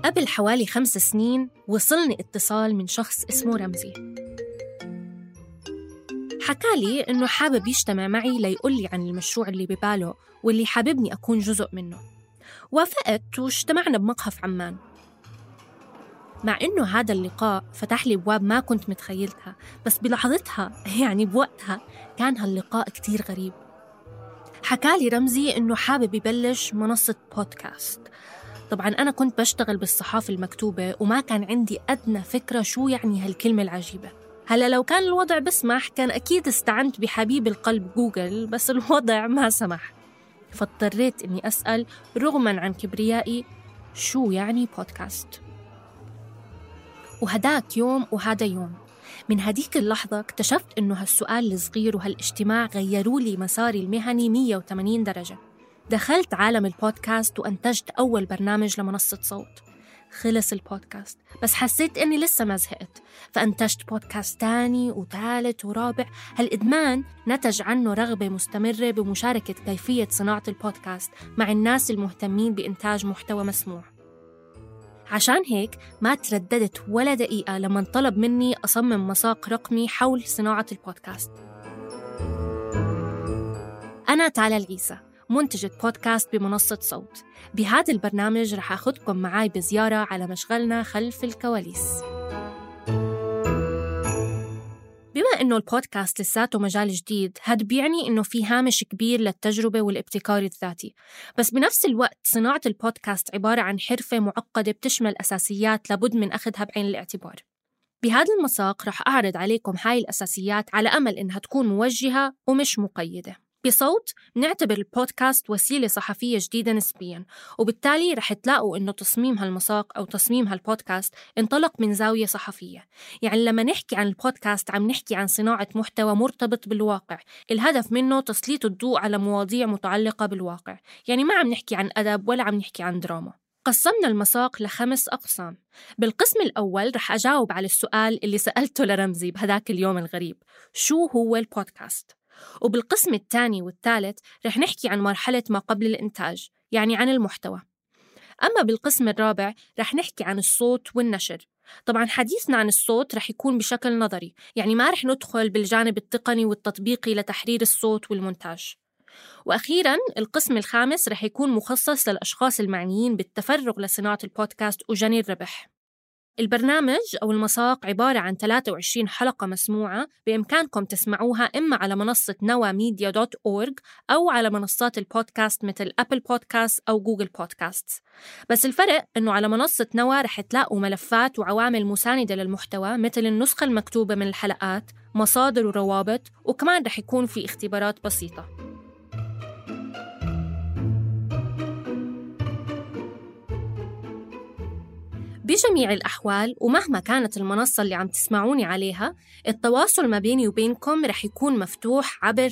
قبل حوالي 5 سنين وصلني اتصال من شخص اسمه رمزي. حكالي إنه حابب يجتمع معي ليقولي عن المشروع اللي بباله واللي حاببني أكون جزء منه. وافقت واجتمعنا بمقهى في عمان. مع إنه هذا اللقاء فتح لي أبواب ما كنت متخيلتها، بس بلحظتها يعني بوقتها كان هاللقاء كتير غريب. حكالي رمزي إنه حابب يبلش منصة بودكاست. طبعاً أنا كنت بشتغل بالصحافة المكتوبة وما كان عندي أدنى فكرة شو يعني هالكلمة العجيبة. هلأ لو كان الوضع بسمح كان أكيد استعنت بحبيب القلب جوجل، بس الوضع ما سمح، فاضطريت إني أسأل رغماً عن كبريائي شو يعني بودكاست. وهداك يوم وهذا يوم، من هديك اللحظة اكتشفت إنه هالسؤال الصغير وهالاجتماع غيروا لي مساري المهني 180 درجة. دخلت عالم البودكاست وأنتجت أول برنامج لمنصة صوت. خلص البودكاست بس حسيت إني لسه ما زهقت، فأنتجت بودكاست تاني وثالث ورابع. هالإدمان نتج عنه رغبة مستمرة بمشاركة كيفية صناعة البودكاست مع الناس المهتمين بإنتاج محتوى مسموع. عشان هيك ما ترددت ولا دقيقة لما طلب مني أصمم مساق رقمي حول صناعة البودكاست. أنا تالا العيسى، منتجة بودكاست بمنصة صوت. بهذا البرنامج رح أخذكم معاي بزيارة على مشغلنا خلف الكواليس. بما إنه البودكاست لساته مجال جديد، هاد بيعني إنه في هامش كبير للتجربة والابتكار الذاتي، بس بنفس الوقت صناعة البودكاست عبارة عن حرفة معقدة بتشمل أساسيات لابد من أخذها بعين الاعتبار. بهذا المساق رح أعرض عليكم هاي الأساسيات على أمل إنها تكون موجهة ومش مقيدة. بصوت نعتبر البودكاست وسيلة صحفية جديدة نسبياً، وبالتالي رح تلاقوا إنه تصميم هالمساق أو تصميم هالبودكاست انطلق من زاوية صحفية. يعني لما نحكي عن البودكاست عم نحكي عن صناعة محتوى مرتبط بالواقع، الهدف منه تسليط الضوء على مواضيع متعلقة بالواقع، يعني ما عم نحكي عن أدب ولا عم نحكي عن دراما. قسمنا المساق ل5 أقسام. بالقسم الأول رح أجاوب على السؤال اللي سألته لرمزي بهداك اليوم الغريب، شو هو البودكاست؟ وبالقسم الثاني والثالث رح نحكي عن مرحلة ما قبل الإنتاج، يعني عن المحتوى. أما بالقسم الرابع رح نحكي عن الصوت والنشر. طبعاً حديثنا عن الصوت رح يكون بشكل نظري، يعني ما رح ندخل بالجانب التقني والتطبيقي لتحرير الصوت والمونتاج. وأخيراً القسم الخامس رح يكون مخصص للأشخاص المعنيين بالتفرغ لصناعة البودكاست وجني الربح. البرنامج أو المساق عبارة عن 23 حلقة مسموعة بإمكانكم تسمعوها إما على منصة nawamedia.org أو على منصات البودكاست مثل أبل بودكاست أو جوجل بودكاست. بس الفرق إنه على منصة نوا رح تلاقوا ملفات وعوامل مساندة للمحتوى مثل النسخة المكتوبة من الحلقات، مصادر وروابط، وكمان رح يكون في اختبارات بسيطة. بجميع الأحوال ومهما كانت المنصة اللي عم تسمعوني عليها، التواصل ما بيني وبينكم رح يكون مفتوح عبر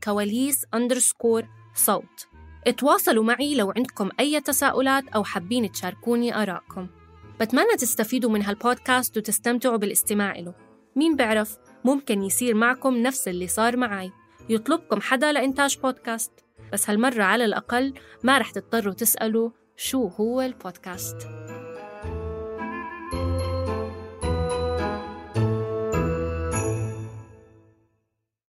#كواليس_صوت. اتواصلوا معي لو عندكم أي تساؤلات أو حابين تشاركوني آراءكم. بتمنى تستفيدوا من هالبودكاست وتستمتعوا بالاستماع له. مين بعرف ممكن يصير معكم نفس اللي صار معي، يطلبكم حدا لإنتاج بودكاست، بس هالمرة على الأقل ما رح تضطروا تسألوا شو هو البودكاست.